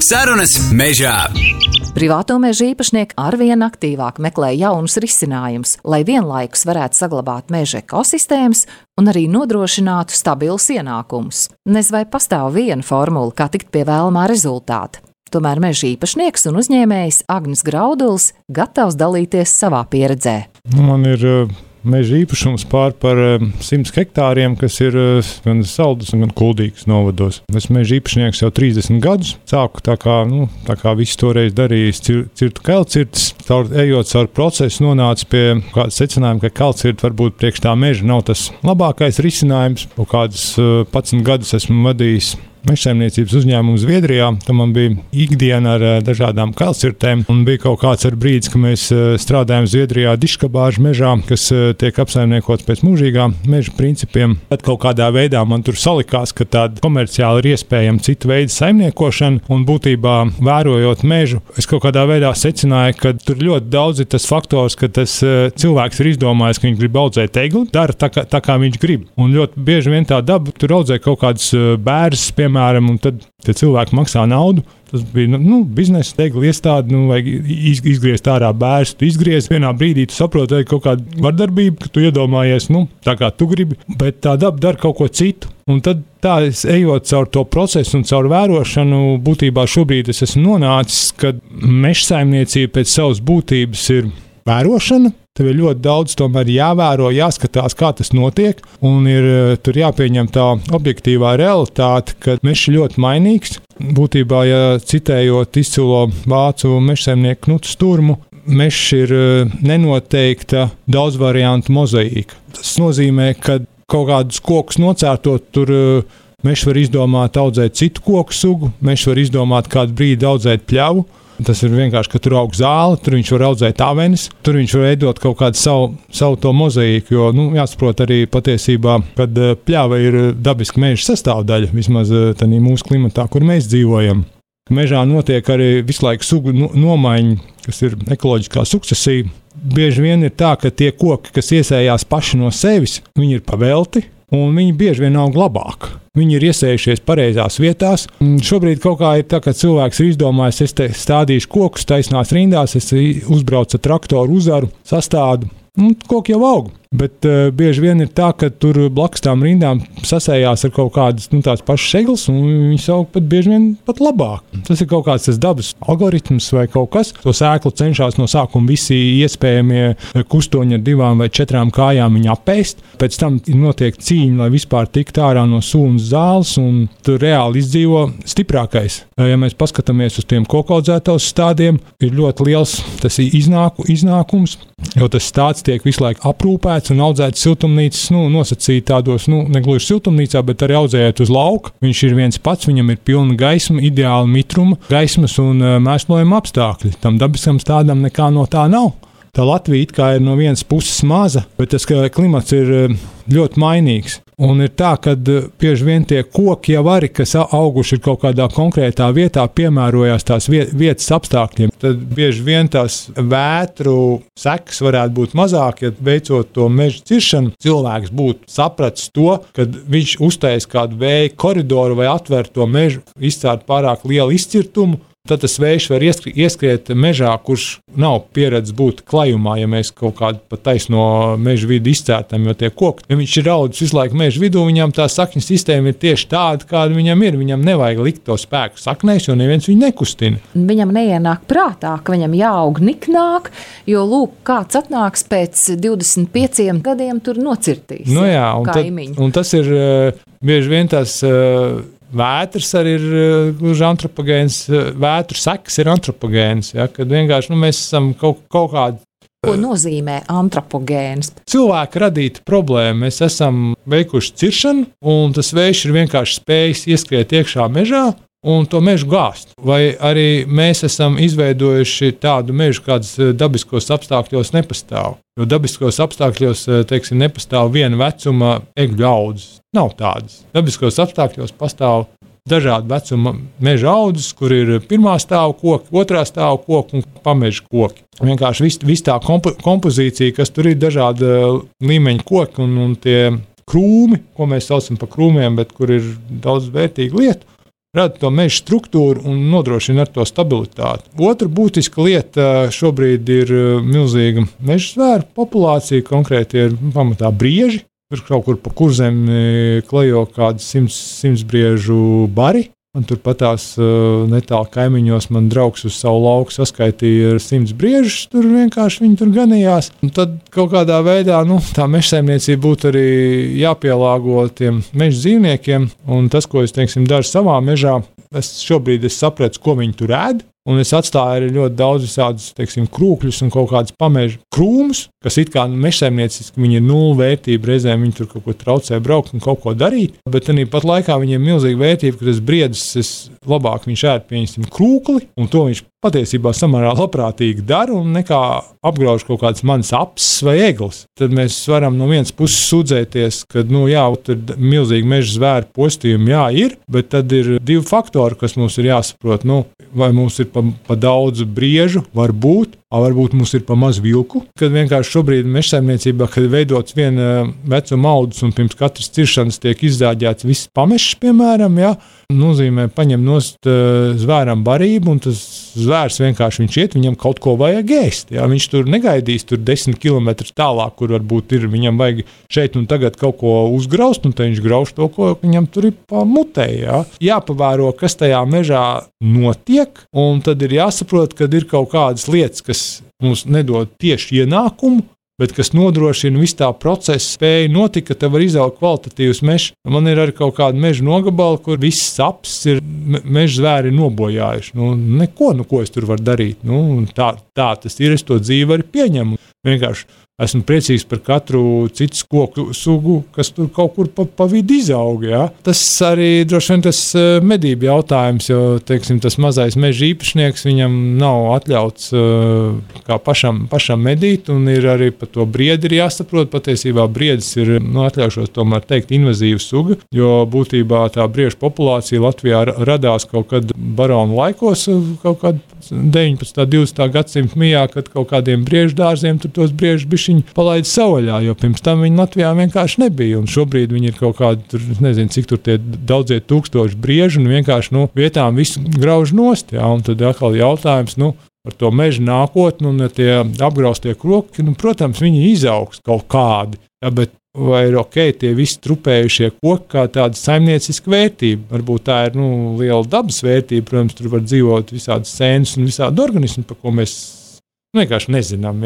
Sarunas mežā. Privāto meža īpašnieki arvien aktīvāk meklē jaunus risinājumus, lai vienlaikus varētu saglabāt meža ekosistēmas un arī nodrošinātu stabilus ienākumus. Nez vai pastāv viena formula, kā tikt pie vēlamā rezultāta. Tomēr meža īpašnieks un uzņēmējs Agnis Graudulis gatavs dalīties savā pieredzē. Man ir meža īpašums par 100 hektāriem, kas ir gan Saldus, gan Kuldīgas novados. Esmu meža īpašnieks jau 30 gadus. Sāku tā kā visi toreiz darījis, cirtu kelcirtes. Ejot caur procesu, nonāca pie kāda secinājuma, ka kelcirte varbūt priekš tā meža nav tas labākais risinājums. Kādus 11 gadus esmu vadījis mežsaimniecības uzņēmumu Zviedrijā. Tam man bija ikdiena ar dažādām kelcirtēm. Un bija kaut kāds brīdis, kad mēs strādājām Zviedrijā diškabāžu mežā, kas tiek apsaimniekots pēc mūžīgā meža principiem. Tad kaut kādā veidā man tur salikās, ka tāda komerciāli ir iespējama cita veida saimniekošana. Un būtībā, vērojot mežu, es kaut kādā veidā secināju, ka tur ļoti daudz ir tas faktors, ka tas cilvēks ir izdomājis, ka viņš grib audzēt egli, dara tā kā viņš grib. Un ļoti bieži vien tā daba tur audzē kaut kādas bērzus, piemēram, un tad tie cilvēki maksā naudu. Tas bija biznesa tegla iestāde, vajag izgriezt ārā bērnu. Tu izgriez vienā brīdī, tu saproti, ka kaut kāda vardarbība, ka tu iedomājies, tā kā tu gribi, bet tā daba dara kaut ko citu. Un tad tā, ejot caur to procesu un caur vērošanu, būtībā šobrīd es esmu nonācis, ka mežsaimniecība pēc savas būtības ir vērošana. Tev ir ļoti daudz tomēr jāvēro, jāskatās, kā tas notiek, un ir tur jāpieņem tā objektīvā realitāte, ka mežs ir ļoti mainīgs. Būtībā, ja citējot izcilo vācu mežsaimnieku Knutu Sturmu, mežs ir nenoteikta daudzvariantu mozaīka. Tas nozīmē, ka kaut kādus kokus nocērtot, tur mežs var izdomāt audzēt citu koku sugu, mežs var izdomāt kādu brīdi audzēt pļavu. Tas ir vienkārši, ka tur aug zāle, tur viņš var audzēt avenes, tur viņš var veidot kaut kādu savu to mozaīku, jo, jāsaprot arī patiesībā, kad pļava ir dabiska meža sastāvdaļa, vismaz tādā mūsu klimatā, kur mēs dzīvojam. Mežā notiek arī visu laiku sugu nomaiņa, kas ir ekoloģiskā sukcesija. Bieži vien ir tā, ka tie koki, kas iesējās paši no sevis, viņi ir pavelti, un viņi bieži vien aug labāk. Viņi ir iesējušies pareizās vietās. Šobrīd kaut kā ir tā, ka cilvēks ir izdomājis, es te stādīšu kokus taisnās rindās, es uzbraucu ar traktoru uzaru, sastādu. Koki jau aug, bet bieži vien ir tā, ka tur blakus tām rindām sasējās ar kaut kādas tās pašas egles, un viņas aug pat bieži vien pat labāk. Tas ir kaut kāds tas dabas algoritms vai kaut kas. To sēklu cenšas no sākuma visi iespējamie kustoņi ar 2 vai 4 kājām viņu apēst. Pēc tam notiek cīņa, lai vispār tiktu ārā no sūnas zāles, un tur reāli izdzīvo stiprākais. Ja mēs paskatāmies uz tiem kokaudzētos stādiem, ir ļoti liels tas iznākums, jo tas stāds tiek visu laiku aprūpēts un audzēts siltumnīcas, nosacīt tādos, negluži siltumnīcā, bet arī audzējot uz lauka. Viņš ir viens pats, viņam ir pilna gaisma, ideāla mitruma, gaismas un mēslojuma apstākļi. Tam dabiskam stādam nekā no tā nav. Tā Latvija it kā ir no vienas puses maza, bet tas klimats ir ļoti mainīgs. Un ir tā, ka bieži vien tie koki jau arī, kas auguši ir kaut kādā konkrētā vietā, piemērojās tās vietas apstākļiem. Tad bieži vien tās vētru sekas varētu būt mazāk, ja veicot to meža ciršanu, cilvēks būtu sapratis to, kad viņš uztais kādu vēja koridoru vai atver to mežu, izcērt pārāk lielu izcirtumu. Tad tas vējš var ieskriet mežā, kurš nav pieredzējis būt klajumā, ja mēs kaut kādu pat taisno meža vidu izcērtam, jo tie koki, ja viņš ir audzis visu laiku meža vidū, viņam tā sakņu sistēma ir tieši tāda, kāda viņam ir. Viņam nevajag likt to spēku saknēs, jo neviens viņu nekustina. Viņam neienāk prātā, ka viņam jāaug niknāk, jo lūk, kāds atnāks pēc 25 gadiem tur nocirtīs. Jā, un tas ir bieži vien tas vētras arī ir gluži antropogēns, vētru sekas ir antropogēns, kad vienkārši mēs esam kaut kādi. Ko nozīmē antropogēns? Cilvēka radīta problēma. Mēs esam veikuši ciršanu, un tas vējš ir vienkārši spējis ieskriet iekšā mežā un to mežu gāzt. Vai arī mēs esam izveidojuši tādu mežu, kāds dabiskos apstākļos nepastāv. Jo dabiskos apstākļos, nepastāv viena vecuma egļu audzes. Nav tādas. Dabiskos apstākļos pastāv dažādu vecuma meža audzes, kur ir pirmā stāva koki, otrā stāva koki un pameža koki. Vienkārši viss tā kompozīcija, kas tur ir dažāda līmeņa koki un tie krūmi, ko mēs saucam par krūmiem, bet kur ir daudz vērtīgu lietu. rada to meža struktūru un nodrošina ar to stabilitāti. Otra būtiska lieta šobrīd ir milzīga meža zvēru populācija, konkrēti ir pamatā brieži. Tur kaut kur pa Kurzem klejo kādi 100 briežu bari. Un turpat tās netālu kaimiņos man draugs uz savu lauku saskaitīja 100 briežus, tur vienkārši viņi tur ganījās. Un tad kaut kādā veidā tā mežsaimniecība būtu arī jāpielāgo tiem meža dzīvniekiem. Un tas, ko es daru savā mežā, šobrīd es sapratu, ko viņi tur ēd. Un es atstāju arī ļoti daudz visādus krūkļus un kaut kādus pamežu krūmus, kas it kā mežsaimnieciski viņi ir nulle vērtība. Reizēm viņi tur kaut ko traucē braukt un kaut ko darīt. Bet arī pat laikā viņiem ir milzīga vērtība, ka tas briedis labāk viņš ēd pieņemsim krūkli, un to viņš patiesībā samērā labprātīgi dara un nekā apgrauž kaut kādas manas apses vai eglis. Tad mēs varam no vienas puses sūdzēties, ka, tur milzīgi meža zvēru postījumi, ir, bet tad ir divi faktori, kas mums ir jāsaprot. Vai mums ir pa daudz briežu, varbūt mums ir pa maz vilku. Kad vienkārši šobrīd mežsaimniecībā, kad veidots viena vecuma audus un pirms katras ciršanas tiek izzāģēts viss pamešs, piemēram, nozīmē paņem nost zvēram barību, un tas zvērs vienkārši viņš iet, viņam kaut ko vajag ēst. Viņš tur negaidīs 10 km tālāk, kur varbūt ir, viņam vajag šeit un tagad kaut ko uzgraust, un tad viņš grauž to, ko viņam tur ir pa mutē. Jāpavēro, kas tajā mežā notiek, un tad ir jāsaprot, kad ir kaut kādas lietas, kas mums nedod tieši ienākumu, bet kas nodrošina visu tā procesa spēju notikt, ka tev var izaugt kvalitatīvs mežs. Man ir arī kaut kāda meža nogabala, kur viss saps ir meža zvēri nobojājuši. Neko, ko es tur varu darīt. Tā tas ir, es to dzīvi arī pieņemu. Vienkārši esmu priecīgs par katru citu koku sugu, kas tur kaut kur pa vidu izaug. Tas arī droši vien tas medību jautājums, jo tas mazais meža īpašnieks, viņam nav atļauts kā pašam medīt, un ir arī par to briedi ir jāsaprot. Patiesībā briedis ir, atļaušos tomēr teikt, invazīva suga, jo būtībā tā briežu populācija Latvijā radās kaut kad baronu laikos, kaut kad 19. 20. gadsimta mijā, kad kaut kādiem briežu dārziem tur tos briežus bišķiņi palaida savvaļā, jo pirms tam viņi Latvijā vienkārši nebija. Un šobrīd viņi ir kaut kādi, tur, nezinu, cik tur tie daudzie tūkstoši briežu, un vienkārši vietām visu grauž nost. Un tad atkal jautājums, par to meža nākotni, un tie apgraustie kroki, protams, viņi izaugs kaut kādi. Bet vai ir ok, tie visi trupējušie koki kā tāda saimnieciska vērtība? Varbūt tā ir liela dabas vērtība, protams, tur var dzīvot visādas sēnes un visādi organismi, par ko mēs vienkārši nezinām.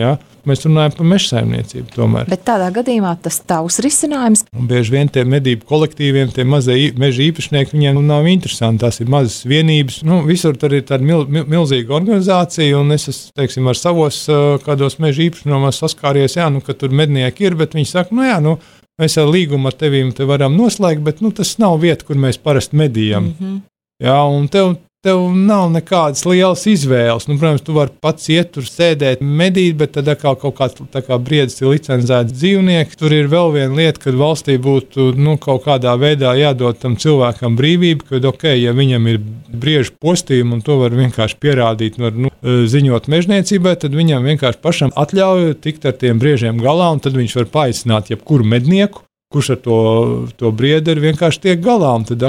Mēs runājam par meža saimniecību tomēr. Bet tādā gadījumā tas tavs risinājums. Un bieži vien tie medību kolektīviem, tie mazie meža īpašnieki, viņiem nav interesanti. Tās ir mazas vienības. Visur tur ir tāda milzīga organizācija, un es teiksim, ar savos kādos meža īpašumos saskāries, ka tur mednieki ir, bet viņi saka, mēs ar līgumu ar tevīm te varam noslēgt, bet tas nav vieta, kur mēs parasti medījam. Un tev nav nekādas lielas izvēles. Protams, tu vari pats iet tur sēdēt, medīt, bet tad kaut kā briedis ir licencēts dzīvnieks. Tur ir vēl viena lieta, kad valstī būtu kaut kādā veidā jādod tam cilvēkam brīvību, kad ja viņam ir briežu postījumi un to var vienkārši pierādīt, var ziņot mežniecībai, tad viņam vienkārši pašam atļauj tikt ar tiem briežiem galā, un tad viņš var paaicināt jebkuru mednieku, kurš ar to briedi vienkārši tiek galā. Un tad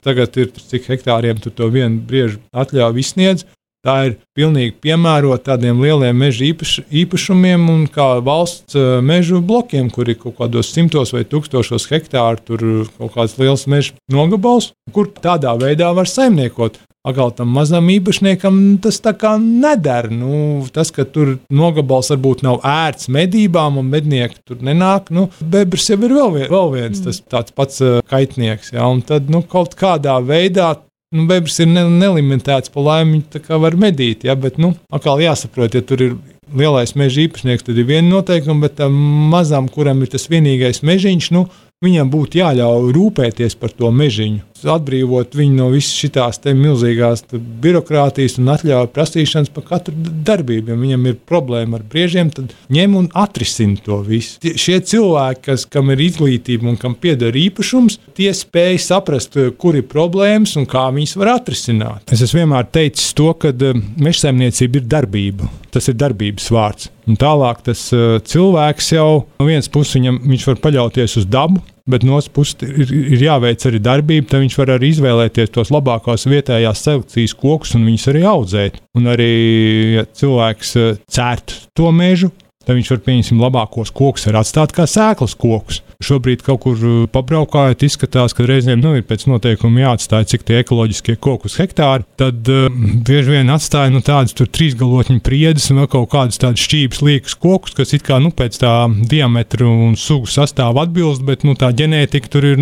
tagad ir cik hektāriem tu to vienu briežu atļauju izsniedz. Tā ir pilnīgi piemērota tādiem lieliem meža īpašumiem un kā valsts mežu blokiem, kur ir kaut kādos 100 vai 1000 hektāru, tur kaut kāds liels meža nogabals, kur tādā veidā var saimniekot. Atkal tam mazam īpašniekam tas tā kā neder. Tas, ka tur nogabals varbūt nav ērts medībām un mednieki tur nenāk, bebrs jau ir vēl viens tas tāds pats kaitnieks. Un tad kaut kādā veidā bebrs ir nelimitēts, pa laimi tā kā var medīt. Bet atkal jāsaprot, ja tur ir lielais meža īpašnieks, tad ir viena noteikuma, bet tam mazam, kuram ir tas vienīgais mežiņš, viņam būtu jāļauj rūpēties par to mežiņu, atbrīvot viņu no visas šitās milzīgās birokrātijas un atļauju prasīšanas par katru darbību. Ja viņam ir problēma ar briežiem, tad ņem un atrisina to visu. Šie cilvēki, kam ir izglītība un kam pieder īpašums, tie spēj saprast, kur ir problēmas un kā viņas var atrisināt. Es esmu vienmēr teicis to, ka mežsaimniecība ir darbība. Tas ir darbības vārds. Un tālāk tas cilvēks jau no vienas puses viņš var paļauties uz dabu, bet no otras puses ir jāveic arī darbība, tad viņš var arī izvēlēties tos labākās vietējās selekcijas kokus un viņus arī audzēt. Un arī, ja cilvēks cērt to mežu, tad viņš var, pieņemsim, labākos kokus var atstāt kā sēklas kokus. Šobrīd kaut kur pabraukājot, izskatās, ka reizēm ir pēc noteikuma jāatstāj, cik tie ekoloģiskie koki uz hektāru. Tad bieži vien atstāja tādas 3-galotņu priedes un vēl kaut kādas tādas šķības liekas kokus, kas it kā pēc tā diametra un sugu sastāva atbilst, bet tā ģenētika tur ir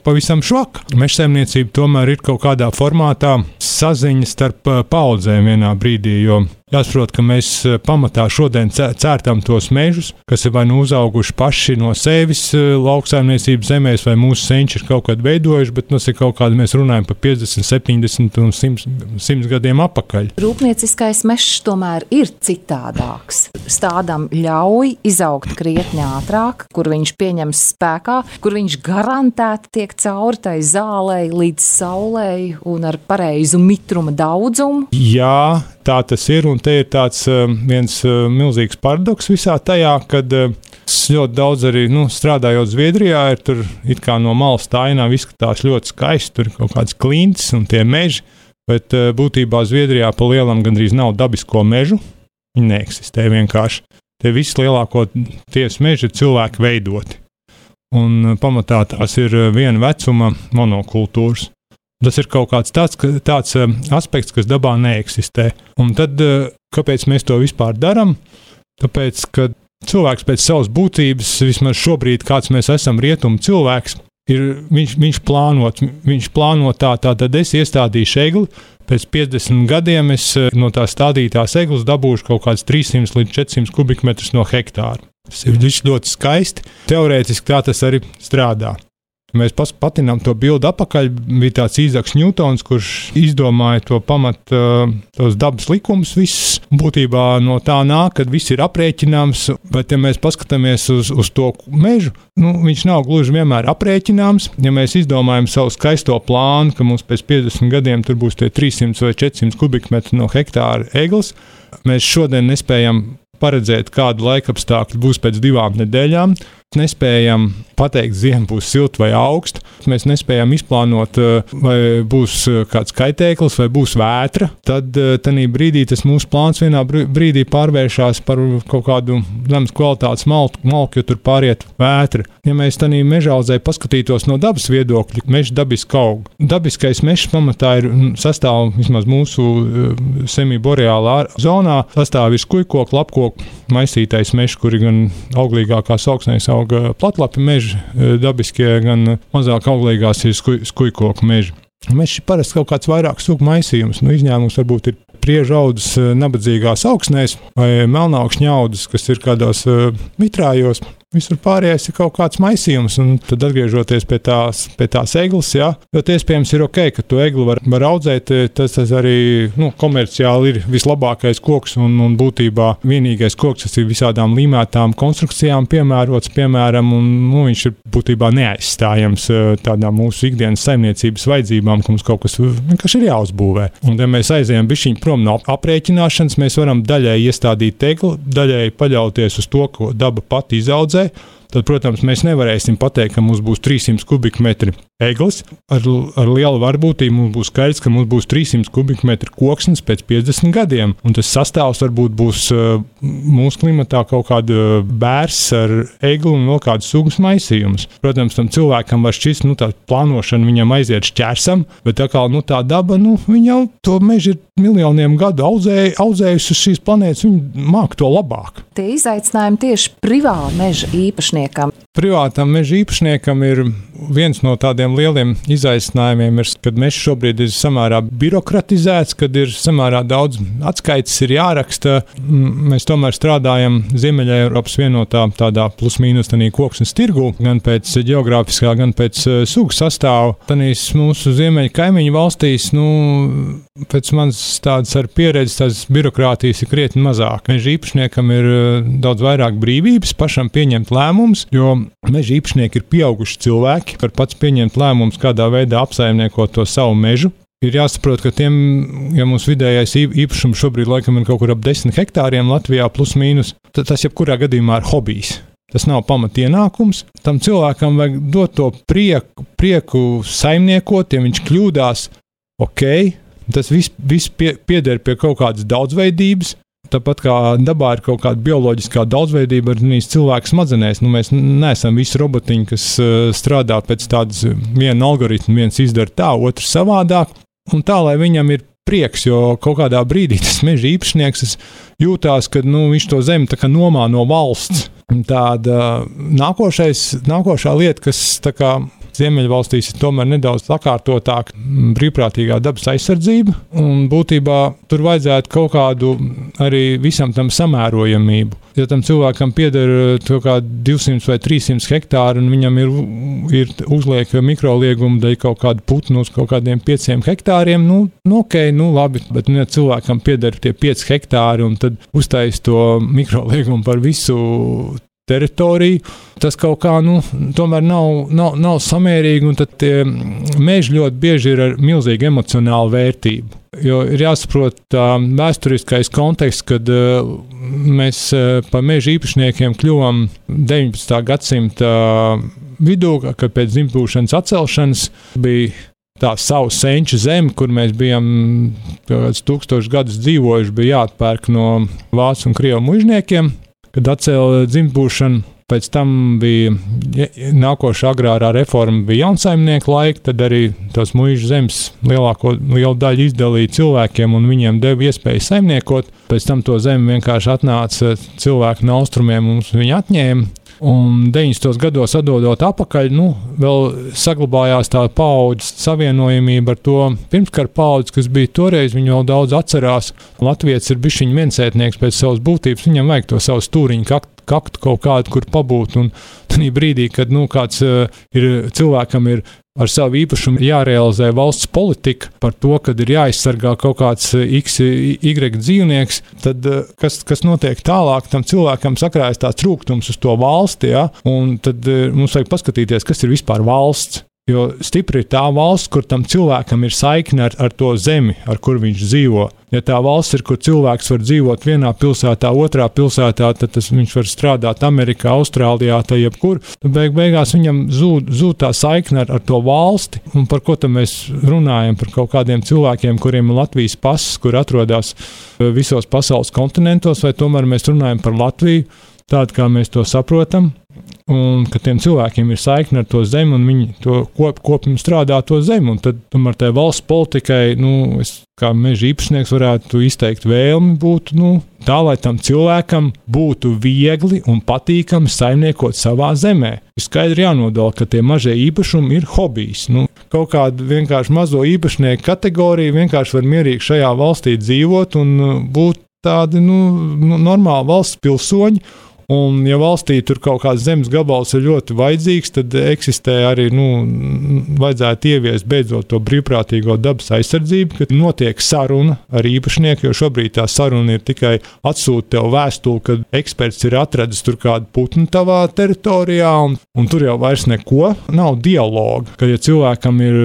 pavisam švaka. Mežsaimniecība tomēr ir kaut kādā formātā saziņa starp paudzēm vienā brīdī, jo jāsaprot, ka mēs pamatā šodien cērtam tos mežus, kas ir vai uzauguši paši no sevis lauksaimniecības zemēs, vai mūsu senči ir kaut kādu veidojuši, bet tas ir kaut kādi, mēs runājam par 50, 70 un 100 gadiem apakaļ. Rūpnieciskais mežs tomēr ir citādāks. Stādam ļauj izaugt krietni ātrāk, kur viņš pieņems spēkā, kur viņš garantēti tiek cauri tai zālei līdz saulei un ar pareizu mitruma daudzumu. Jā, tā tas ir, un te ir tāds viens milzīgs paradoks visā tajā, kad ļoti daudz arī strādājot Zviedrijā, ir tur it kā no malas tā ainā izskatās ļoti skaisti, tur ir kaut kāds klints un tie meži, bet būtībā Zviedrijā pa lielam gandrīz nav dabisko mežu, viņi neeksistē vienkārši. Tie visi lielākoties meži ir cilvēki veidoti, un pamatā tās ir viena vecuma monokultūras. Tas ir kaut kāds tāds aspekts, kas dabā neeksistē. Un tad, kāpēc mēs to vispār darām? Tāpēc, ka cilvēks pēc savas būtības, vismaz šobrīd, kāds mēs esam rietumu cilvēks, viņš plāno tad es iestādīšu egli, pēc 50 gadiem es no tā stādītās eglis dabūšu kaut kāds 300 līdz 400 kubikmetrus no hektāra. Tas ir ļoti skaisti. Teorētiski tā tas arī strādā. Mēs patinām to bildi apakaļ, bija tāds Īzaks Ņūtons, kurš izdomāja to tos dabas likumus visus. Būtībā no tā nāk, kad viss ir aprēķināms, bet ja mēs paskatāmies uz to mežu, viņš nav gluži vienmēr aprēķināms. Ja mēs izdomājam savu skaisto plānu, ka mums pēc 50 gadiem tur būs tie 300 vai 400 kubikmetri no hektāra eglis, mēs šodien nespējam paredzēt, kādu laikapstākļu būs pēc 2 nedēļām. Nespējam pateikt, ziema būs silta vai augsta. Mēs nespējam izplānot, vai būs kāds kaitēklis, vai būs vētra. Tad tajā brīdī tas mūsu plāns vienā brīdī pārvēršas par kaut kādu zemes kvalitātes malku, jo tur pāriet vētra. Ja mēs tajā mežaudzē paskatītos no dabas viedokļa, mežs dabiski aug. Dabiskais mežs pamatā sastāv vismaz mūsu semiboreālā zonā, sastāv ir skujkoku, lapkoku, maisītais mežs, kuri gan auglīgākās augsnēs auga platlapi meži, dabiskie, gan mazāk auglīgās ir skujkoku meži. Mežs ir parasti kaut kāds vairāk sugu maisījums. Izņēmums varbūt ir priežu audzes nabadzīgās augsnēs vai melnākšņu audzes, kas ir kādos mitrājos. Visur pārējais ir kaut kāds maisījums, un tad atgriežoties pie tās eglis, ļoti iespējams ir ok, ka to egli var audzēt, tas arī komerciāli ir vislabākais koks un būtībā vienīgais koks, kas ir visādām līmētām konstrukcijām piemērots, piemēram, un viņš ir būtībā neaizstājams tādām mūsu ikdienas saimniecības vajadzībām, ka mums kaut kas vienkārši ir jāuzbūvē. Un ja mēs aizējam bišķiņ prom no aprēķināšanas, mēs varam daļai iestādīt egli, daļai paļauties uz to, ko daba pati izaudzē. Tad, protams, mēs nevarēsim pateikt, ka mums būs 300 kubikmetri eglis. Ar lielu varbūtību mums būs skaidrs, ka mums būs 300 kubikmetri koksnes pēc 50 gadiem. Un tas sastāvs varbūt būs mūsu klimatā kaut kāda bērs ar egli un vēl kādu sugas maisījumus. Protams, tam cilvēkam var šķist, tā plānošana viņam aiziet šķērsam, bet tā daba, viņa jau to mežu ir miljoniem gadu audzējusi uz šīs planētas, viņa māk to labāk. Tie izaicinājumi tieši privāta meža īpašniekam. Privātam meža īpašniekam ir viens no tādiem lieliem izaicinājumiem, kad mežs šobrīd ir samērā birokratizēts, kad ir samērā daudz atskaites ir jāraksta. Mēs tomēr strādājam Ziemeļa Eiropas vienotā tādā plus-mínus koksnes tirgu, gan pēc geogrāfiskā, gan pēc sugu sastāvu. Tanīs mūsu ziemeļa kaimiņu valstīs, pēc manas tādas ar pieredzi, tās birokrātijas ir krietni mazāk. Meža īpašniekam ir daudz vairāk brīvības pašam pieņemt lēmumus, jo meža īpašnieki ir pieauguši cilvēki, var pats pieņemt lēmumus, kādā veidā apsaimniekot to savu mežu. Ir jāsaprot, ka ja mūsu vidējais īpašums šobrīd laikam ir kaut kur ap 10 hektāriem Latvijā plus mīnus, tad tas jebkurā gadījumā ir hobijs. tas nav pamatienākums. Tam cilvēkam vajag dot to prieku saimniekot, ja viņš kļūdās, tas viss pieder pie kaut kādas daudzveidības. Tāpat kā dabā ir kaut kāda bioloģiskā daudzveidība arī cilvēku smadzenēs. Mēs neesam visi robotiņi, kas strādā pēc tādas viena algoritma, viens izdara tā, otrs savādāk. Un tā, lai viņam ir prieks, jo kaut kādā brīdī tas meža īpašnieks jūtās, ka viņš to zemi tā kā nomā no valsts. Tāda nākošā lieta, kas tā kā Ziemeļvalstīs ir tomēr nedaudz sakārtotāk brīvprātīgā dabas aizsardzība, un būtībā tur vajadzētu kaut kādu arī visam tam samērojamību. Ja tam cilvēkam pieder kaut kādi 200 vai 300 hektāri, un viņam ir uzliek mikrolieguma dēļ kaut kādu putnu uz kaut kādiem 5 hektāriem, labi, bet ja cilvēkam pieder tie 5 hektāri, un tad uztais to mikroliegumu par visu teritoriju, tas kaut kā tomēr nav samērīgi, un tad tie meži ļoti bieži ir ar milzīgu emocionālu vērtību. Jo ir jāsaprot vēsturiskais konteksts, kad mēs par meža īpašniekiem kļuvām 19. gadsimta vidū, kad pēc dzimtbūšanas atcelšanas bija tā savu senču zemi, kur mēs bijām 1000 gadus dzīvojuši, bija jāatpērk no vācu un krievu mužniekiem. Kad atcēla dzimtbūšanu, pēc tam bija nākošā agrārā reforma, bija jaunsaimnieku laika, tad arī tās muižu zemes lielu daļu izdalīja cilvēkiem un viņiem deva iespēju saimniekot. Pēc tam to zemi vienkārši atnāca cilvēki no austrumiem un viņi atņēma. Un 90. gados atdodot atpakaļ, vēl saglabājās tā paudžu savienojamība ar to pirmskara paudzi, kas bija toreiz, viņi vēl daudz atcerās. Latvijas ir bišķiņ viensētnieks pēc savas būtības, viņam vajag to savu stūriņu kaktu kaut kādu, kur pabūt. Un tādā brīdī, kad kāds cilvēkam ir ar savu īpašumu jārealizē valsts politika par to, kad ir jāizsargā kaut kāds Y dzīvnieks, tad kas notiek tālāk, tam cilvēkam sakrājas tās trūkums uz to valsti, un tad mums vajag paskatīties, kas ir vispār valsts. Jo stipri ir tā valsts, kur tam cilvēkam ir saikne ar to zemi, ar kur viņš dzīvo. Ja tā valsts ir, kur cilvēks var dzīvot vienā pilsētā, otrā pilsētā, tad viņš var strādāt Amerikā, Austrālijā, tā jebkur. Tad beigās viņam zūd tā saikne ar to valsti. Un par ko tad mēs runājam? Par kaut kādiem cilvēkiem, kuriem ir Latvijas pases, kur atrodas visos pasaules kontinentos, vai tomēr mēs runājam par Latviju, tādu, kā mēs to saprotam. Un ka tiem cilvēkiem ir saikne ar to zemi, un viņi to kopumā strādā to zemi. Un tad tomēr tai valsts politikai, es kā meža īpašnieks varētu izteikt vēlmi būtu tā, lai tam cilvēkam būtu viegli un patīkami saimniekot savā zemē. Ir skaidri jānodala, ka tie mazie īpašumi ir hobijs. Kaut kāda vienkārši mazo īpašnieku kategorija vienkārši var mierīgi šajā valstī dzīvot un būt tādi normāli valsts pilsoņi. Un, ja valstī tur kaut kāds zemes gabals ir ļoti vajadzīgs, tad eksistē arī, vajadzētu ieviest beidzot to brīvprātīgo dabas aizsardzību, kad notiek saruna ar īpašnieku, jo šobrīd tā saruna ir tikai atsūt tev vēstuli, kad eksperts ir atradis tur kādu putnu tavā teritorijā, un tur jau vairs neko, nav dialoga, ka ja cilvēkam ir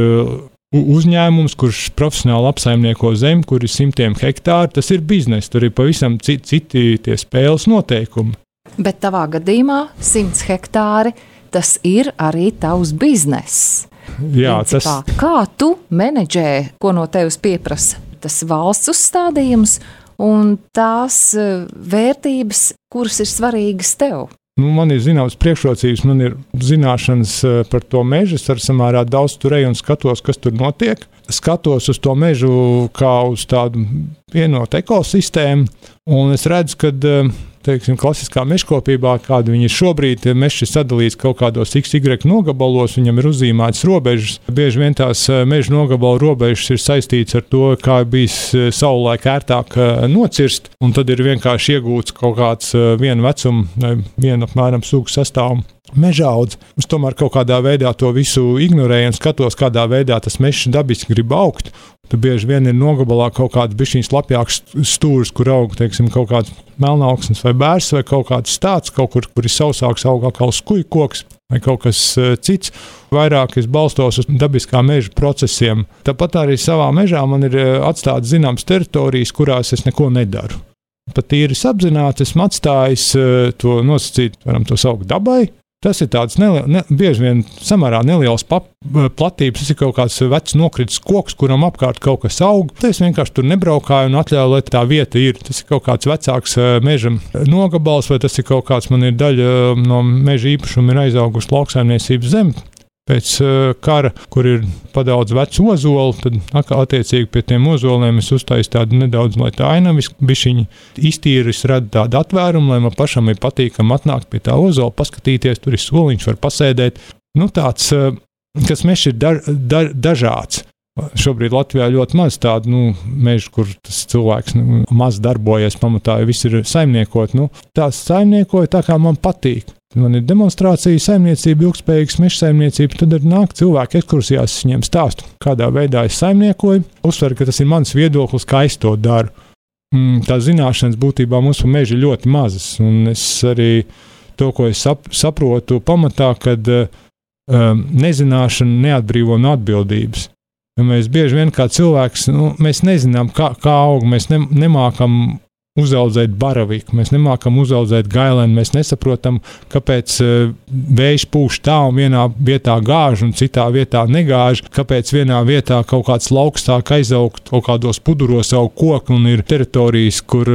uzņēmums, kurš profesionāli apsaimnieko zemi, kur ir 100 hektāri, tas ir biznes, tur ir pavisam citi tie spēles noteikumi. Bet tavā gadījumā 100 hektāri, tas ir arī tavs bizness. Jā, principā. Kā tu menedžē, ko no tevis pieprasa tas valsts uzstādījums un tās vērtības, kuras ir svarīgas tev? Man ir zināmas priekšrocības, man ir zināšanas par to mežu, es ar samērā daudz tur eju un skatos, kas tur notiek. Skatos uz to mežu kā uz tādu vienotu ekosistēmu, un es redzu, ka klasiskā mežkopībā, kāda viņa ir šobrīd, mežs ir sadalīts kaut kādos XY nogabalos, viņam ir uzzīmētas robežas. Bieži vien tās meža nogabalu robežas ir saistīts ar to, kā bijis savulaik ērtāk nocirst, un tad ir vienkārši iegūts kaut kāds viena vecuma, viena apmēram sugu sastāvuma mežaudz. Es tomēr kaut kādā veidā to visu ignorēju un skatos, kādā veidā tas mežs dabiski grib augt. Tad bieži vien ir nogabalā kaut kāds bišķiņš lapjāks stūris, kur aug, kaut kāds melnauksnes vai bērs vai kaut kāds stāds, kaut kur ir sausāks, aug atkal skujkoks vai kaut kas cits. Vairāk es balstos uz dabiskā meža procesiem. Tāpat arī savā mežā man ir atstātas zināmas teritorijas, kurās es neko nedaru. pat īris apzināti esmu atstājis to nosacīt, varam to saukt dabai. Tas ir tāds bieži vien samērā neliels platības. Tas ir kaut kāds vecs nokritis koks, kuram apkārt kaut kas aug. Es vienkārši tur nebraukāju un atļauju, lai tā vieta ir. Tas ir kaut kāds vecāks meža nogabals, vai tas ir kaut kāds, man ir daļa no meža īpašuma ir aizaugusi lauksaimniecības zeme. Pēc kara, kur ir padaudz vecu ozolu, tad attiecīgi pie tiem ozoliem es uztaisu tādu nedaudz, lai tā ainavis bišķiņi iztīris, rada tādu atvērumu, lai man pašam ir patīkam atnākt pie tā ozola, paskatīties, tur ir soliņš, var pasēdēt. Nu tāds, kas mežs ir dažāds. Šobrīd Latvijā ļoti maz tādu mežu, kur tas cilvēks maz darbojas, pamatā viss ir saimniekot. Tās saimniekoja tā, kā man patīk. Man ir demonstrācija, saimniecība, ilgspējīgas meža saimniecība, tad nāk cilvēki ekskursijās, es viņiem stāstu, kādā veidā es saimniekoju. Uzsveru, ka tas ir mans viedoklis, kā es to daru. Tā zināšanas būtībā mums par mežu ir ļoti mazas, un es arī to, ko es saprotu pamatā, kad nezināšana neatbrīvo no atbildības. Ja mēs bieži vien kā cilvēks, mēs nezinām, kā aug, mēs nemākam uzaudzēt baraviku, mēs nemākam uzaudzēt gailēnu, mēs nesaprotam, kāpēc vējš pūš tā un vienā vietā gāž un citā vietā negāž, kāpēc vienā vietā kaut kāds lauks sāk aizaugt, kaut kādos puduros aug koki un ir teritorijas, kur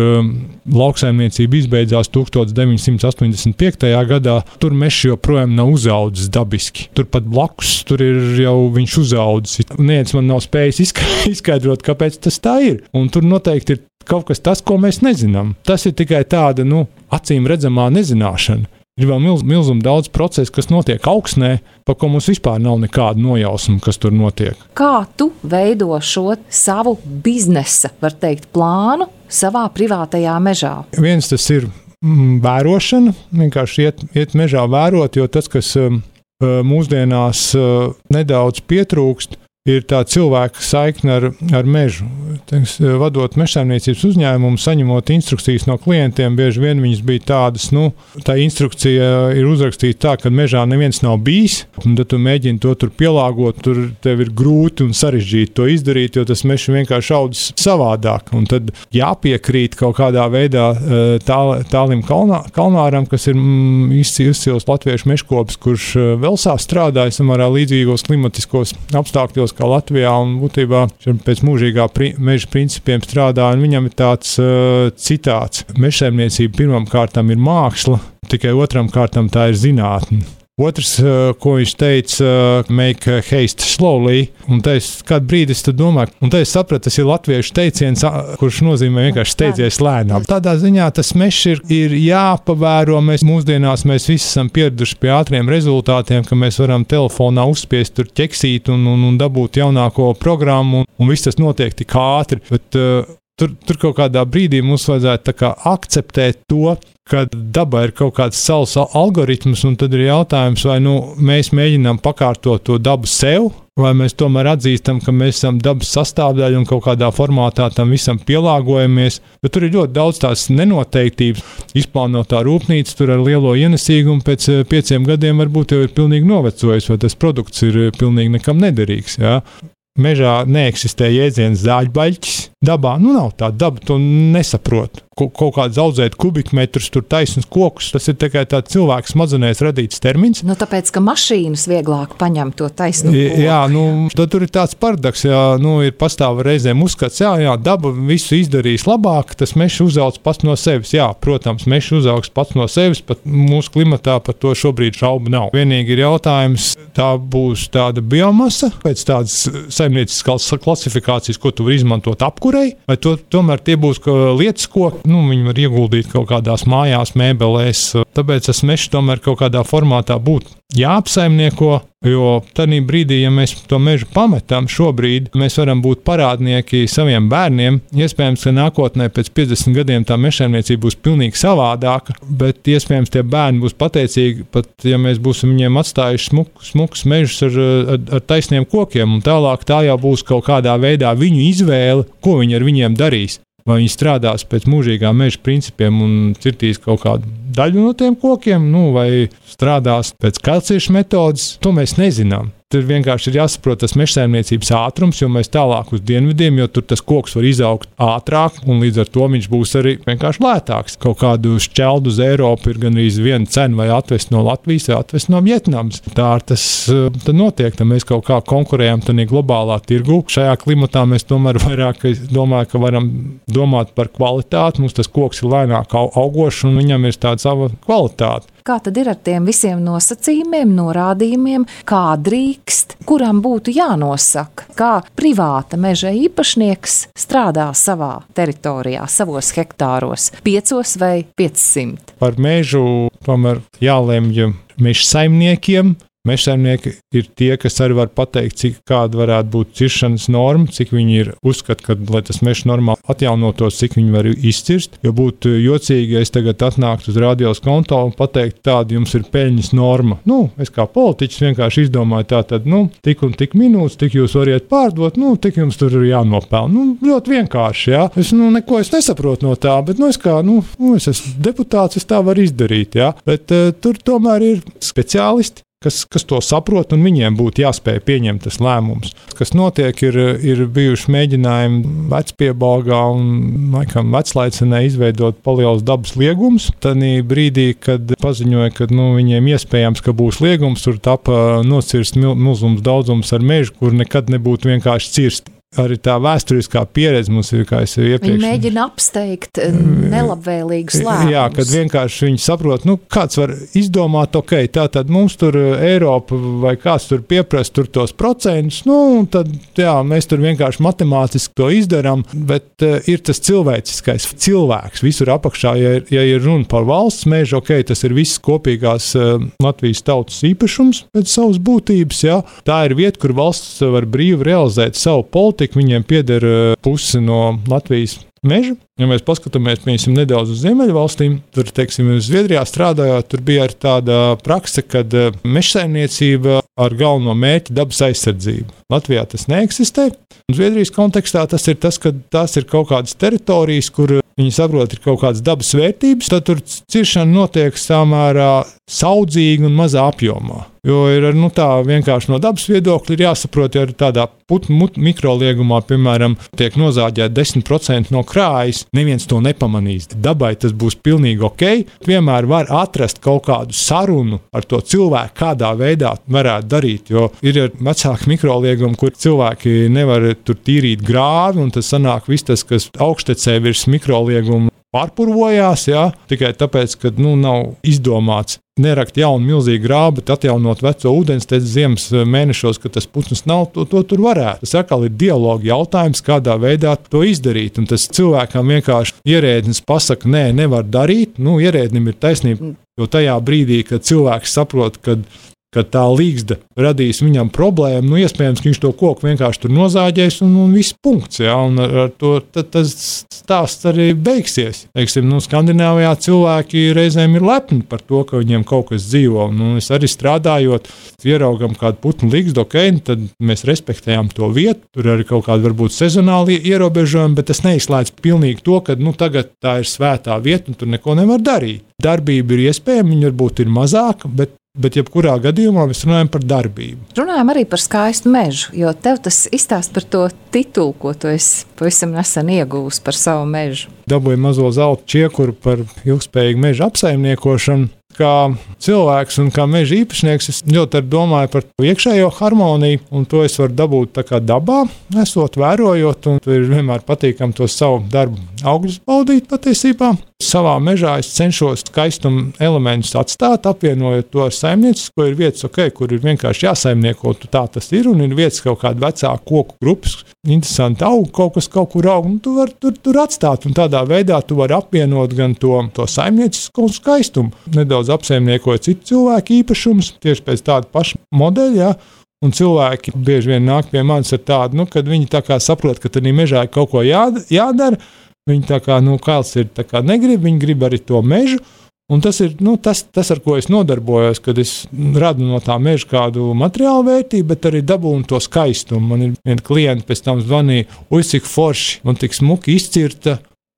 lauksaimniecība izbeidzās 1985. Gadā, tur mežs joprojām nav uzaudzis dabiski. Turpat blakus, tur ir jau viņš uzaudzis. Neviens man nav spējis izskaidrot, kāpēc tas tā ir. Un tur noteikti ir kaut kas tas, ko mēs nezinām. Tas ir tikai tāda, acīm redzamā nezināšana. Ir vēl milzum daudz procesu, kas notiek augsnē, par ko mums vispār nav nekāda nojausma, kas tur notiek. Kā tu veido šo savu biznesa, var teikt, plānu savā privātajā mežā? Viens tas ir vērošana, vienkārši iet mežā vērot, jo tas, kas mūsdienās nedaudz pietrūkst, ir tā cilvēka saikne ar mežu. Vadot mežsaimniecības uzņēmumu, saņemot instrukcijas no klientiem, bieži vien viņas bija tādas, tā instrukcija ir uzrakstīta tā, ka mežā neviens nav bijis, un tad tu mēģini to tur pielāgot, tur tev ir grūti un sarežģīti to izdarīt, jo tas mežs vienkārši audzis savādāk, un tad jāpiekrīt kaut kādā veidā Tālim Kalnāram, kas ir izcils latviešu mežkopis, kurš Velsā strādāja samērā līdzīgos klimatiskos apstākļos kā Latvijā, un būtībā pēc mūžīgā meža principiem strādā, un viņam ir tāds citāts. Mežsaimniecība pirmām kārtām ir māksla, tikai otram kārtām tā ir zinātne. Otrs, ko viņš teica, make haste slowly, un es kādu brīdi es domāju, un es sapratu, tas ir latviešu teiciens, kurš nozīmē vienkārši steidzies lēnām. Tādā ziņā tas mežs ir jāpavēro, mūsdienās mēs visi esam pieraduši pie ātriem rezultātiem, ka mēs varam telefonā uzspiest tur ķeksīt un dabūt jaunāko programmu, un viss tas notiek tik ātri, bet tur kaut kādā brīdī mums vajadzētu tā kā akceptēt to, ka dabā ir kaut kāds savs algoritms, un tad ir jautājums, vai mēs mēģinām pakārtot to dabu sev, vai mēs tomēr atzīstam, ka mēs esam dabas sastāvdaļa un kaut kādā formātā tam visam pielāgojamies. Bet tur ir ļoti daudz tās nenoteiktības. Izplānotā rūpnīca tur ar lielo ienesīgumu pēc 5 gadiem varbūt jau ir pilnīgi novecojis, vai tas produkts ir pilnīgi nekam nederīgs. Jā. Mežā neeksistē jēdziens zāļbaļķis. Dabā nav tā, daba to nesaprot. Kaut kāds audzēt kubikmetrus, tur taisnus kokus, tas ir tikai tāds cilvēks smadzenēs radīts termins. Tāpēc, ka mašīnas vieglāk paņem to taisnu koku. Jā, tad tur ir tāds paradoks, ir pastāv reizēm uzskats, jā, daba visu izdarīs labāk, tas mežs uzaugs pats no sevis. Jā, protams, mežs uzaugs pats no sevis, pat mūsu klimatā par to šobrīd šaubu nav. Vienīgi ir jautājums, tā būs tāda biomasa, pēc tādas saimnieciskās klasifikācijas, ko tu vari izmantot apkurei, vai tomēr tie būs lietas, ko viņi var ieguldīt kaut kādās mājās, mēbelēs. Tāpēc tas mežs tomēr kaut kādā formātā būtu jāapsaimnieko, jo tādā brīdī, ja mēs to mežu pametam šobrīd, mēs varam būt parādnieki saviem bērniem. Iespējams, ka nākotnē pēc 50 gadiem tā mežsaimniecība būs pilnīgi savādāka, bet iespējams tie bērni būs pateicīgi, pat ja mēs būsim viņiem atstājuši smukus mežus ar taisniem kokiem, un tālāk tā jau būs kaut kādā veidā viņu izvēle, ko viņi ar viņiem darīs. Vai viņi strādās pēc mūžīgā meža principiem un cirtīs kaut kādu daļu no tiem kokiem, vai strādās pēc kalciešu metodas, to mēs nezinām. Tur vienkārši ir jāsaprot tas mežsaimniecības ātrums, jo mēs tālāk uz dienvidiem, jo tur tas koks var izaugt ātrāk, un līdz ar to viņš būs arī vienkārši lētāks. Kaut kādu šķeldu uz Eiropu ir gandrīz viena cena, vai atvest no Latvijas, vai atvest no Vjetnamas. Tā tas notiek, tad mēs kaut kā konkurējam tādā globālā tirgu. Šajā klimatā mēs tomēr vairāk domāju, ka varam domāt par kvalitāti. Mums tas koks ir lēnāk augošs, un viņam ir tāda sava kvalitāte. Kā tad ir ar tiem visiem nosacījumiem, norādījumiem, kā drīkst, kuram būtu jānosaka, kā privāta meža īpašnieks strādā savā teritorijā, savos hektāros, 5 vai 500? Par mežu tomēr jālemj mežsaimniekiem. Mežsaimnieki ir tie, kas arī var pateikt, kāda varētu būt ciršanas norma, cik viņi ir uzskata, ka, lai tas mežs normāli atjaunotos, cik viņi var izcirst. Jo būtu jocīgi, ja es tagad atnāktu uz radios konto un pateiktu, tāda jums ir peļņas norma. Es kā politiķis vienkārši izdomāju tātad, tik un tik minūtes, tik jūs variet pārdot, tik jums tur ir jānopelna. Ļoti vienkārši, jā. Neko es nesaprotu no tā, bet, es esmu deputāts, es tā varu izdarīt, jā. Bet tur tomēr ir speciālisti, kas to saprot, un viņiem būtu jāspēj pieņemt tas lēmums. Kas notiek, ir bijuši mēģinājumi Vecpiebalgā un laikam Veclaicenē izveidot palielus dabas liegumus. Tanī brīdī, kad paziņoja, ka viņiem iespējams, ka būs liegums, tur tapa nocirst milzums daudzums ar mežu, kur nekad nebūtu vienkārši cirst. Arī tā vēsturiskā pieredze mums ir, kā es iepriekš. Viņi mēģina apsteigt nelabvēlīgus lēmumus. Jā, kad vienkārši viņi saprot, kāds var izdomāt, tātad mums tur Eiropa vai kāds tur pieprasa tur tos procentus, tad mēs tur vienkārši matemātiski to izdarām, bet ir tas cilvēciskais cilvēks visur apakšā, ja ir runa par valsts mežu, tas ir viss kopīgās Latvijas tautas īpašums pēc savas būtības, jā. Tā ir vieta, kur valsts var brīvi realizēt savu politiku. Viņiem pieder pusi no Latvijas meža. Ja mēs paskatāmies nedaudz uz Ziemeļvalstīm, tur, Zviedrijā strādājot, tur bija arī tāda prakse, kad mežsaimniecība ar galveno mērķi dabas aizsardzību. Latvijā tas neeksistē. Un Zviedrijas kontekstā tas ir tas, ka tās ir kaut kādas teritorijas, kur viņi saprot, ir kaut kādas dabas vērtības, tad tur ciršana notiek samērā saudzīgi un mazā apjomā. Jo ir tā vienkārši no dabas viedokļa ir jāsaprot, ja tādā putnu mikroliegumā, piemēram, tiek nozāģēta 10% no krājas, neviens to nepamanīs. Dabai tas būs pilnīgi ok. Vienmēr var atrast kaut kādu sarunu ar to cilvēku, kādā veidā varētu darīt, jo ir vecāki mikroliegumi, kur cilvēki nevar tur tīrīt grāvi, un tas sanāk viss tas, kas augštecē virs mikrolieguma pārpurvojās, jā, tikai tāpēc, ka nav izdomāts nerakt jaunu milzīgu grābu, bet atjaunot veco ūdensteci ziemas mēnešos, kad tas putns nav, to tur varētu. Tas atkal ir dialoga jautājums, kādā veidā to izdarīt. Un tas cilvēkam vienkārši ierēdnis pasaka, nē, nevar darīt. Ierēdnim ir taisnība, jo tajā brīdī, kad cilvēks saprot, kad tā līgzda radīs viņam problēmu, iespējams, ka viņš to koku vienkārši tur nozāģēs un viss punkts. Ja? Un ar to tas stāsts arī beigsies. Skandināvijā cilvēki reizēm ir lepni par to, ka viņiem kaut kas dzīvo. Es arī strādājot, ieraugam kādu putnu līgzdu, tad mēs respektējam to vietu. Tur arī kaut kādi varbūt sezonāli ierobežojumi, bet tas neizslēdz pilnīgi to, ka tagad tā ir svētā vieta un tur neko nevar darīt. Darbība ir iespējama, viņa varbūt ir mazāka, bet jebkurā gadījumā mēs runājam par darbību. Runājam arī par skaistu mežu, jo tev tas izstāst par to titulu, ko tu esi pavisam nesen iegūs par savu mežu. Dabūju mazo zelta čiekuru par ilgspējīgu meža apsaimniekošanu. Kā cilvēks un kā meža īpašnieks, es ļoti domāju par iekšējo harmoniju, un to es varu dabūt tā kā dabā, esot vērojot, un ir vienmēr patīkami to savu darbu augļus baudīt patiesībā. Savā mežā es cenšos skaistumu elementus atstāt, apvienojot to ar saimniecisko. Ir vietas, kur ir vienkārši jāsaimnieko, tā tas ir, un ir vietas kaut kāda vecā koku grupas, interesanti aug, kaut kas kaut kur aug, un tu vari tur atstāt, un tādā veidā tu vari apvienot gan to saimniecisko skaistumu. Nedaudz apsaimniekoja citu cilvēku īpašumus, tieši pēc tāda paša modeļa, ja? Un cilvēki bieži vien nāk pie manis ar tādu, kad viņi tā kā saprot, ka tādā mežā ir kaut ko jādara. Viņi tā kā, kāds ir, tā kā negrib, viņi grib arī to mežu. Un tas ir tas, ar ko es nodarbojos, kad es radu no tā meža kādu materiālu vērtību, bet arī dabūnu to skaistumu. Man ir viena klienta pēc tam zvanīja, cik forši, man tik smuki izcirta,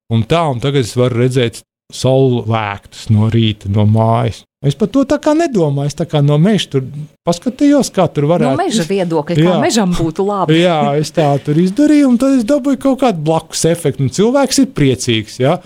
un tagad es varu redzēt saulvēktus no rīta no mājas. Es par to tā kā nedomāju, es tā kā no meža tur paskatījos, kā tur varētu. No meža viedokļa, kā mežam būtu labi. Jā, es tā tur izdarīju, un tad es dabūju kaut kādu blakus efektu, un cilvēks ir priecīgs, jā.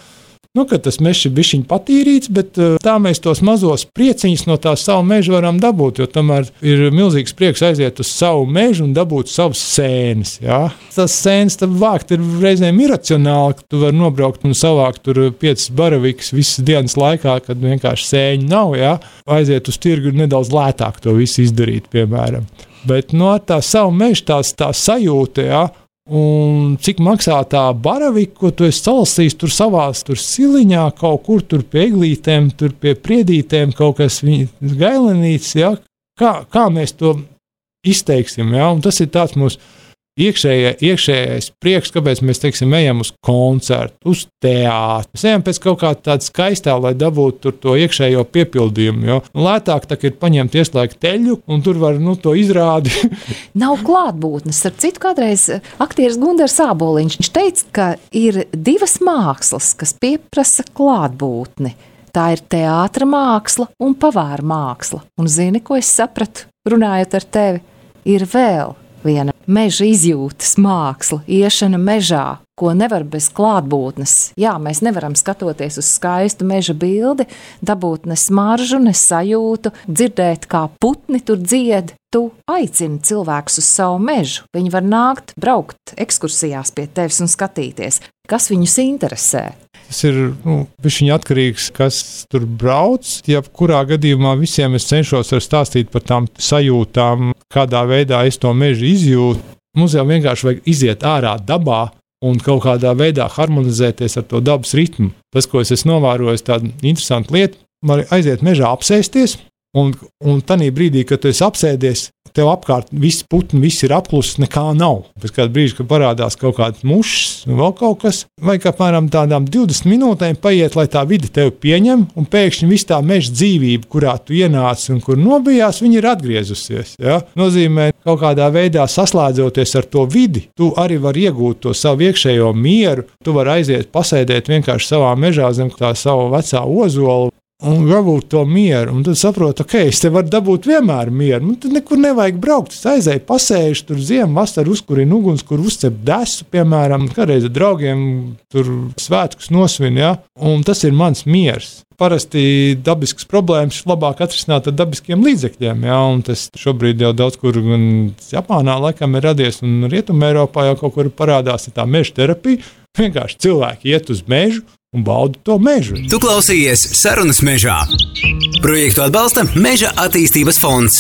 Nu, ka tas mežs ir bišķiņ patīrīts, bet tā mēs tos mazos prieciņus no tā savu mežu varam dabūt, jo tomēr ir milzīgs prieks aiziet uz savu mežu un dabūt savus sēnes, jā. Tas sēnes tad vākt ir reizēm iracionāli, ka tu vari nobraukt un savākt tur 5 baravikas visas dienas laikā, kad vienkārši sēņu nav, jā. Aiziet uz tirgu ir nedaudz lētāk to visu izdarīt, piemēram. Bet no tā savu mežu tā sajūta, jā, un cik maksā tā baravika, ko tu esi salasījis tur savās tur siliņā, kaut kur tur pie eglītēm, tur pie priedītēm, kaut kas gailenīts, ja? Kā mēs to izteiksim, ja? Un tas ir tāds mūsu iekšējais prieks, kāpēc mēs, teiksim, ejam uz koncertu, uz teātru. Mēs ejam pēc kaut kā tāda skaistā, lai dabūtu tur to iekšējo piepildījumu, jo lētāk tā ir paņemt ieslēgt teļu, un tur var, to izrādi. Nav klātbūtnes. Ar citu kādreiz aktieris Gundars Āboliņš, viņš teica, ka ir 2 mākslas, kas pieprasa klātbūtni. Tā ir teātra māksla un pavāra māksla. Un zini, ko es sapratu, runājot ar tevi, ir vēl viena meža izjūtas māksla, iešana mežā, ko nevar bez klātbūtnes. Jā, mēs nevaram skatoties uz skaistu meža bildi, dabūt ne smaržu, ne sajūtu, dzirdēt, kā putni tur dzied. Tu aicini cilvēkus uz savu mežu. Viņi var nākt, braukt ekskursijās pie tevis un skatīties, kas viņus interesē. Tas ir bišķiņ atkarīgs, kas tur brauc. Jebkurā gadījumā visiem es cenšos stāstīt par tām sajūtām, kādā veidā es to mežu izjūtu. Mums jau vienkārši vajag iziet ārā dabā un kaut kādā veidā harmonizēties ar to dabas ritmu. Tas, ko es esmu novērojis, tāda interesanta lieta, var aiziet mežā apsēsties, un tanī brīdī, kad tu esi apsēdies, tev apkārt viss putni, viss ir apklusis, nekā nav. Pēc kāda brīža, kad parādās kaut kāds mušs, vēl kaut kas, vajag apmēram tādām 20 minūtēm paiet, lai tā vide tevi pieņem, un pēkšņi viss tā meža dzīvība, kurā tu ienāci un kur nobijās, viņa ir atgriezusies. Ja? Nozīmē, kaut kādā veidā saslēdzoties ar to vidi, tu arī vari iegūt to savu iekšējo mieru, tu vari aiziet pasēdēt vienkārši savā mežā zem tā savu vecā ozola, un dabūt to mieru, un tad saprotu, es te varu dabūt vienmēr mieru, tad nekur nevajag braukt, es aizēju pasējuši, tur ziemu, vasaru uzkurinu uguns, kur uzcep desu, piemēram, kādreiz ar draugiem tur svētkus nosvin, ja? Un tas ir mans miers. Parasti dabiskas problēmas labāk atrisināt ar dabiskiem līdzekļiem, ja? Un tas šobrīd jau daudz kur gan Japānā laikam ir radies, un Rietumē Eiropā jau kaut kur parādās tā meža terapija, vienkārši cilvēki iet uz mežu, un baudu to mežu. Tu klausījies Sarunas mežā. Projektu atbalsta Meža attīstības fonds.